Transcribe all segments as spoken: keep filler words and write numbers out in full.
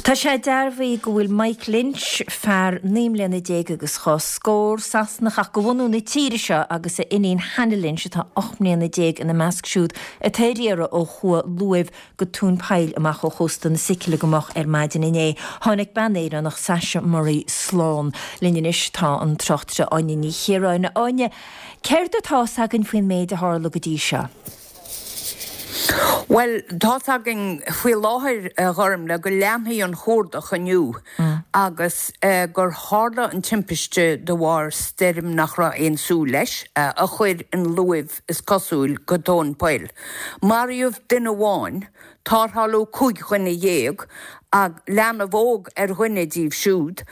Tá sé dearbhaithe go bhfuil Mike Lynch, fear naoi mbliana déag agus dhá scór, Sasanach ach de bhunú na tíre seo agus a iníon Hannah Lynch atá ocht mbliana déag ina measc siúd atá ar iarraidh ó chuaigh luamh go Tóin Poill amach ó chósta na Sicile go moch ar maidin inné. Tháinig bean Éireannach Sasha Murray slán. Linn anois tá an tráchtaire Áine Ní Chiaráin. Áine, céard atá againn faoin méid a tharla go dtí seo? Well tá againn faoi láthair a Ghormfhlaith go leanfaidh an cuardach inniu mm. agus uh, gur tharla an timpiste de bharr stoirm nach raibh aon súil leis uh, a chuir an luamh is cosúil go tóin poill. Maraíodh duine amháin tarrtháladh cúig dhuine dhéag ag leanbh óg ar dhuine díobh siúd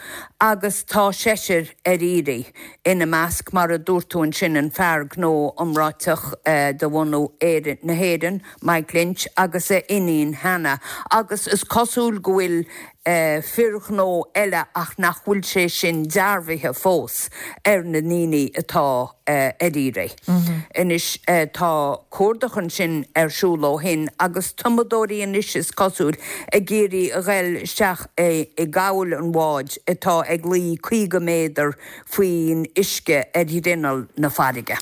agus tá seisear ar iarraidh ina measc mar a dúirt tú ansin an fear gnó iomráiteach uh, de bhunú Éire na hÉireann, Mike Lynch agus a iníon Hannah agus is cosúil go bhfuil uh, fear gnó eile ach nach bhfuil sé sin dearbhaithe fós ar na ndaoine atá uh, ar iarraidh. Mm -hmm. Anois uh, tá cuardach ansin ar siúl ó shin agus tumadóirí anois is cosúil ag iarraidh a ghabháil isteach i gcabhail an bháid atá ag luí caoga méadar faoin uisce ar ghrinneall na farraige.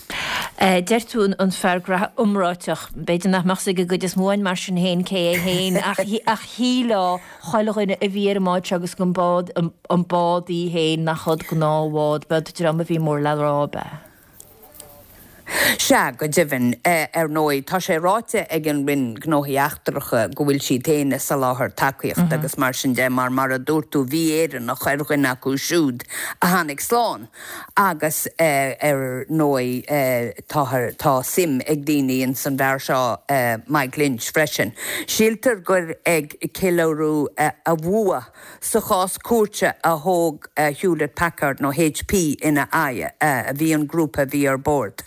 Uh, Deir tú an fear gnó iomráiteach, b'fhéidir nach mbeadh ag an gcuid is mó mar sin féin cé é féin ach ach shílfeadh chuile dhuine a bhí ar an mbád agus an bád an bád í féin nach gnáthbhád b'ead dream a bhí mór le rá be. Sea go deimhin ar ndóigh tá sé ráite ag an Roinn Gnóthaí Eachtracha go bhfuil siad féin ag soláthar tacaíocht mm -hmm. agus mar sin de mar mar a dúirt tú bhí Éireannach ar dhuine acu siúd a tháinig slán agus uh, ar ndóigh uh, tá suim ag daoine in san bhfear seo uh, Mike Lynch freisin. Síltear gur ag ceiliúradh uh, a bhua sa chás cúirte a thóg uh, Hewlett Packard nó HP ina aghaidh uh, a bhí an grúpa bhí ar bord.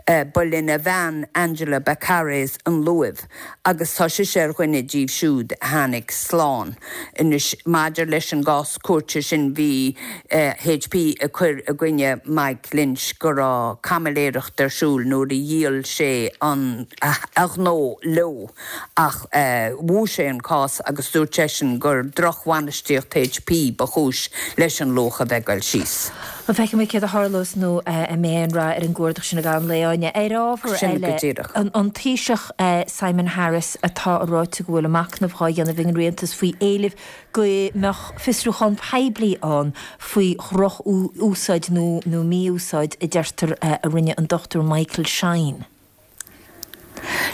Uh, ba lena bhean Angela Bacares an luamh, agus tá sí ar dhuine díobh siúd tháinig slán. Anois maidir leis an gcás cúirte sin bhí uh, HP ag cur i gcoinne Mike Lynch go raibh caimiléireacht ar siúl nuair a dhíol sé an a ghnó leo ach uh, bhuaigh sé an cás agus dúirt seisean gur drochbhainistíocht HP ba chúis leis an luach a bheith ag dul síos. Má feiceann céad a tharlós nó a mé an ra ar an gcuardach sin a gan leáine ar ábhar eile an Taoiseach Simon Harris atá ráite go bhfuil machnamh á dhéanamh ag an rialtas faoi éileamh go mbeadh fiosrúchán poiblí ann faoi dhroch-úsáid nó nó mí-úsáid a deirtear a rinne an Dr Michael Shine.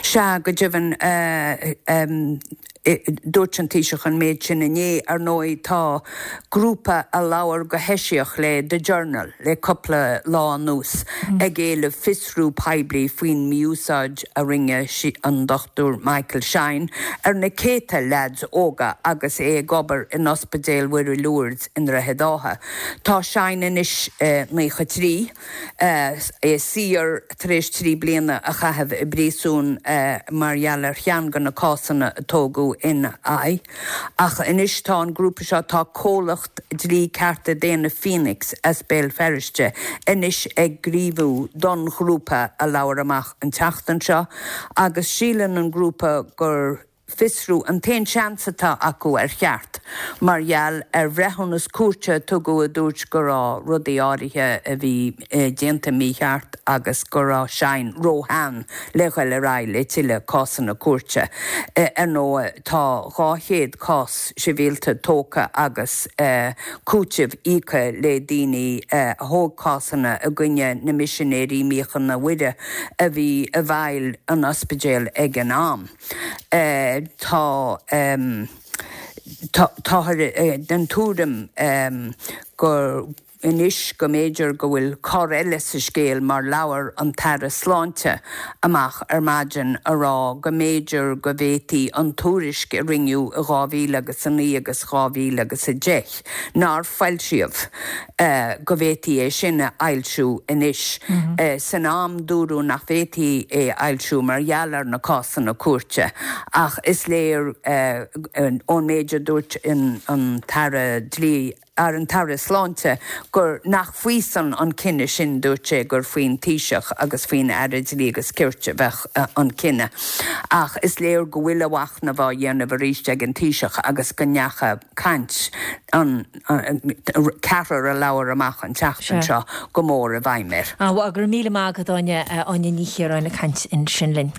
Sea go deimhin uh, um, dúirt an Taoiseach an méid sin inné ar ndóigh tá grúpa a labhair go heisiach le The Journal le cúpla lá anuas mm. ag éileamh fiosrú poiblí faoin mí-úsáid a rinne an Dr Michael Shine ar na céadta leaids óga agus é ag obair in Ospidéal Mhuire Lourdes i nDroichead Átha. Tá Shine anois eh, nócha trí eh, é saor tar éis trí bliana a chaitheamh i bpríosún eh, mar gheall ar cheann de na cásanna a tógadh ina aghaidh. Ach anois tá an grúpa seo tá comhlacht dlí cearta daonna Phoenix as Béal Feirste anois ag gníomhú don ghrúpa a labhair amach an tseachtain seo, agus síleann an grúpa gur fiosrú an t-aon seans atá acu ar cheart, mar gheall ar bhreithiúnas cúirte tugadh a dúirt go raibh rudaí áirithe a bhí eh, déanta mícheart agus go raibh Shine róshean le dhul ar aghaidh le tuilleadh cásanna cúirte. Eh, ar ndóigh tá dhá chéad cás sibhialta tógtha agus eh, cúiteamh íoctha le daoine a thóg cásanna i gcoinne na misinéirí Míochaine Mhuire a bhí i bhfeighil an ospidéil ag an am. Tá um, tá den tuairim um, gur anois go mb'fhéidir go bhfuil cor eile sa scéal mar labhair an tAire Sláinte amach ar maidin a rá go mb'fhéidir go bhféadfaí an tuairisc a rinneadh i dhá mhíle agus a naoi agus dhá mhíle agus a deich nár foilsíodh uh, go bhféadfaí é sin a fhoilsiú anois. Mm -hmm. uh, san am dúradh nach bhféadfaí é fhoilsiú mar gheall ar na cásanna cúirte ach is léir uh, ón méid a dúirt an tAire dlí ar an tAire Sláinte gur nach faoisan an cinneadh sin dúirt sé gur faoin Taoiseach agus faoin Aire Dlí agus Cirt a bheadh an cinneadh. Ach is léir go bhfuil a mhachnamh á dhéanamh arís ag an Taoiseach agus go ndeacha caint an ceathrar a labhair amach an tseachtain seo go mór i bhfeidhm air. Á go raibh míle maith agat Áine Áine Ní Chiaráin ag caint ansin linn.